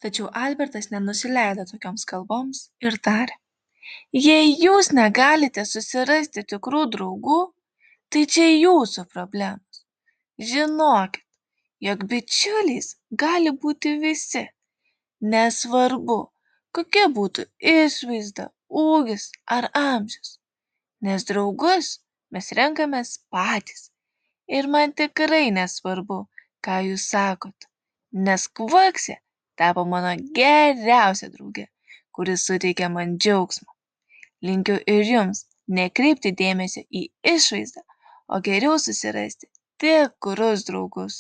Tačiau Albertas nenusileido tokioms kalboms ir tarė: Jei jūs negalite susirasti tikrų draugų, tai čia jūsų problemos. Žinokit, jog bičiuliais gali būti visi, nesvarbu, kokia būtų išvaizda, ūgis ar amžius, nes draugus mes renkamės patys. Ir man tikrai nesvarbu, ką jūs sakot, nes Kvaksė tapo mano geriausia drauge, kuris suteikia man džiaugsmo. Linkiu ir jums nekreipti dėmesio į išvaizdą, o geriau susirasti tikrus draugus.